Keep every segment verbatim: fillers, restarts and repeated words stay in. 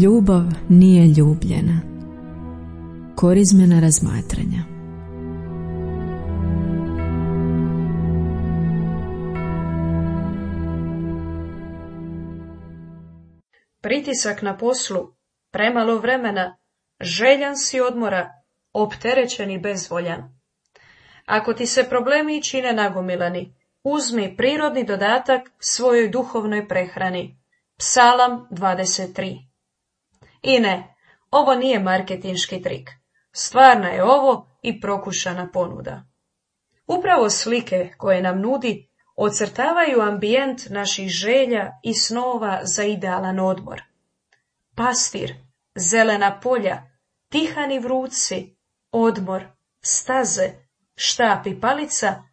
Ljubav nije ljubljena. Korizmena razmatranja. Pritisak na poslu, premalo vremena, željan si odmora, opterećen i bezvoljan. Ako ti se problemi čine nagomilani, uzmi prirodni dodatak svojoj duhovnoj prehrani. Psalam dvadeset tri. I ne, ovo nije marketinški trik. Stvarna je ovo i prokušana ponuda. Upravo slike koje nam nudi ocrtavaju ambijent naših želja i snova za idealan odmor. Pastir, zelena polja, tihani vruci, odmor, staze, štap i palica,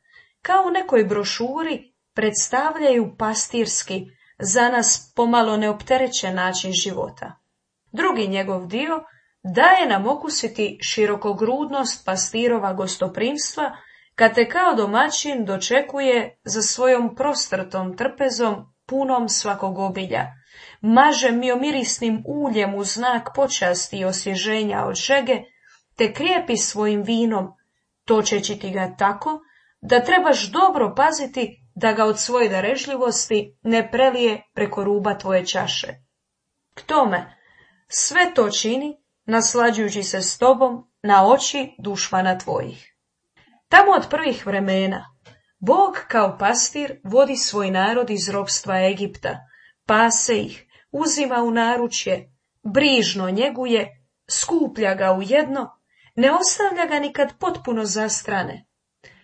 kao u nekoj brošuri predstavljaju pastirski, za nas pomalo neopterećen način života. Drugi njegov dio daje nam okusiti širokogrudnost pastirova gostoprimstva, kad te kao domaćin dočekuje za svojom prostrtom trpezom punom svakog obilja, maže miomirisnim uljem u znak počasti i osvježenja od žege, te krijepi svojim vinom, točeći ti ga tako da trebaš dobro paziti da ga od svoje darežljivosti ne prelije preko ruba tvoje čaše. K tome, sve to čini naslađujući se s tobom na oči dušmana tvojih. Tamo od prvih vremena Bog kao pastir vodi svoj narod iz ropstva Egipta, pase ih, uzima u naručje, brižno njeguje, skuplja ga u jedno, ne ostavlja ga nikad potpuno zastrane.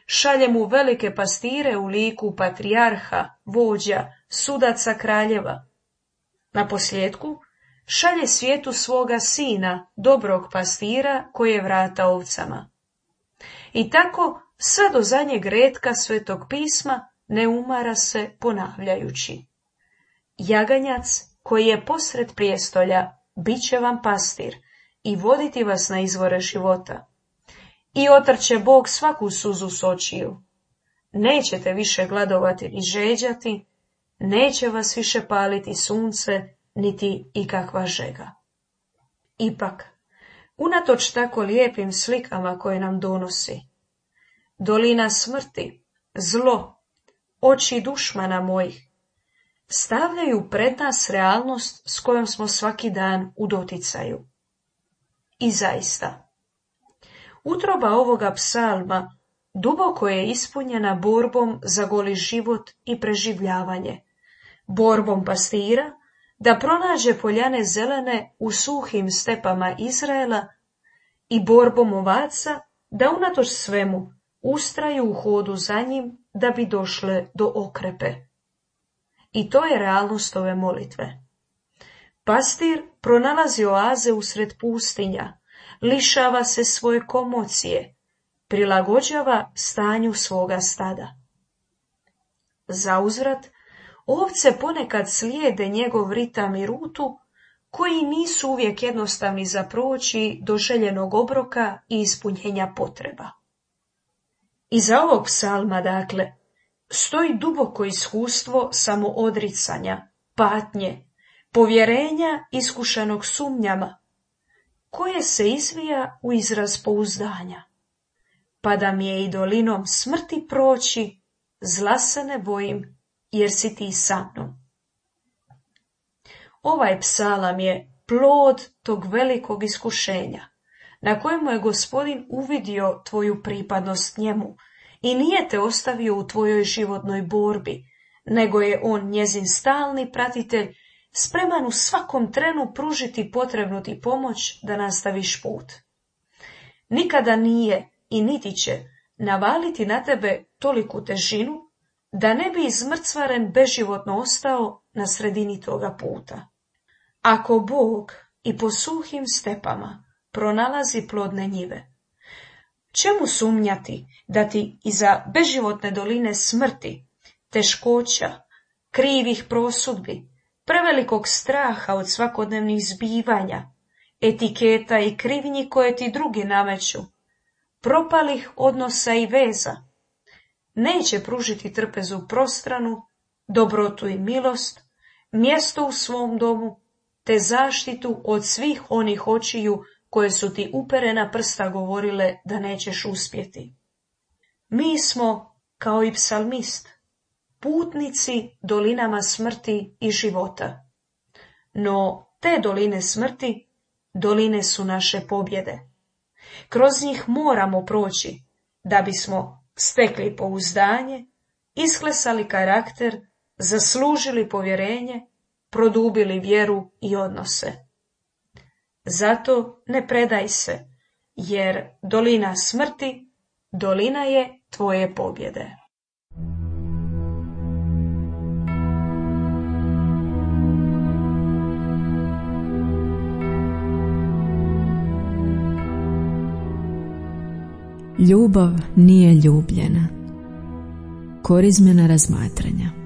Šalje mu velike pastire u liku patrijarha, vođa, sudaca kraljeva. Naposljetku, šalje svijetu svoga sina, dobrog pastira, koje vrata ovcama. I tako, sve do zadnjeg retka Svetog pisma ne umara se ponavljajući. Jaganjac, koji je posred prijestolja, bit će vam pastir i voditi vas na izvore života. I otrće Bog svaku suzu s očiju. Nećete više gladovati ni žeđati, neće vas više paliti sunce, niti ikakva žega. Ipak, unatoč tako lijepim slikama koje nam donosi, dolina smrti, zlo, oči dušmana mojih, stavljaju pred nas realnost s kojom smo svaki dan u doticaju. I zaista, utroba ovoga psalma duboko je ispunjena borbom za goli život i preživljavanje, borbom pastira da pronađe poljane zelene u suhim stepama Izraela i borbom ovaca da unatoč svemu ustraju u hodu za njim da bi došle do okrepe. I to je realnost ove molitve. Pastir pronalazi oaze usred pustinja, lišava se svoje komocije, prilagođava stanju svoga stada. Zauzvrat, ovce ponekad slijede njegov ritam i rutu, koji nisu uvijek jednostavni za proći do željenog obroka i ispunjenja potreba. Iza ovog psalma, dakle, stoji duboko iskustvo samoodricanja, patnje, povjerenja iskušanog sumnjama, koje se izvija u izraz pouzdanja. Pa da mi je i dolinom smrti proći, zla se ne bojim, jer si ti sa mnom. Ovaj psalam je plod tog velikog iskušenja, na kojemu je Gospodin uvidio tvoju pripadnost njemu i nije te ostavio u tvojoj životnoj borbi, nego je on njezin stalni pratitelj, spreman u svakom trenu pružiti potrebnu ti pomoć da nastaviš put. Nikada nije i niti će navaliti na tebe toliku težinu da ne bi izmrcvaren beživotno ostao na sredini toga puta. Ako Bog i po suhim stepama pronalazi plodne njive, čemu sumnjati da ti iza beživotne doline smrti, teškoća, krivih prosudbi, prevelikog straha od svakodnevnih zbivanja, etiketa i krivnji koje ti drugi nameću, propalih odnosa i veza, neće pružiti trpezu prostranu, dobrotu i milost, mjesto u svom domu, te zaštitu od svih onih očiju koje su ti uperena prsta govorile da nećeš uspjeti. Mi smo, kao i psalmist, putnici dolinama smrti i života. No te doline smrti, doline su naše pobjede. Kroz njih moramo proći, da bismo stekli pouzdanje, isklesali karakter, zaslužili povjerenje, produbili vjeru i odnose. Zato ne predaj se, jer dolina smrti, dolina je tvoje pobjede. Ljubav nije ljubljena. Korizmena razmatranja.